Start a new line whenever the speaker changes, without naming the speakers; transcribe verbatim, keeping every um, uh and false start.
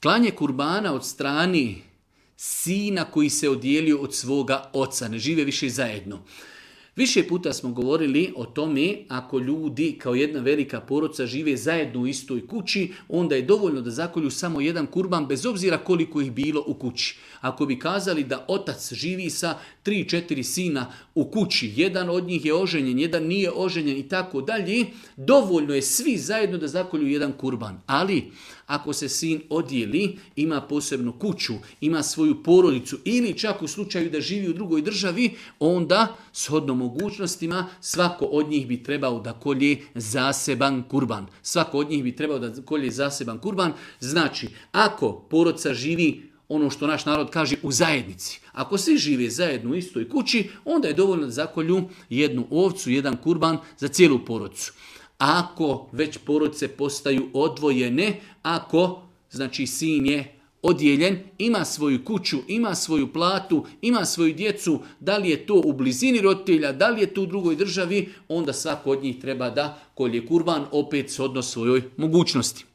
klanje kurbana od strani sina koji se odijelio od svoga oca, ne žive više zajedno. Više puta smo govorili o tome, ako ljudi kao jedna velika porodica žive zajedno u istoj kući, onda je dovoljno da zakolju samo jedan kurban bez obzira koliko ih bilo u kući. Ako bi kazali da otac živi sa tri, četiri sina u kući, jedan od njih je oženjen, jedan nije oženjen i tako dalje, dovoljno je svi zajedno da zakolju jedan kurban. Ali ako se sin odijeli, ima posebnu kuću, ima svoju porodicu ili čak u slučaju da živi u drugoj državi, onda shodno mogućnostima svako od njih bi trebao da kolje zaseban kurban. Svako od njih bi trebao da kolje zaseban kurban. Znači, ako porodica živi, ono što naš narod kaže, u zajednici, ako svi žive zajedno u istoj kući, onda je dovoljno da zakolju jednu ovcu, jedan kurban za cijelu porodicu. Ako već porodice postaju odvojene, ako znači sin je odijeljen, ima svoju kuću, ima svoju platu, ima svoju djecu, da li je to u blizini roditelja, da li je to u drugoj državi, onda svako od njih treba da kolje kurban opet shodno svojoj mogućnosti.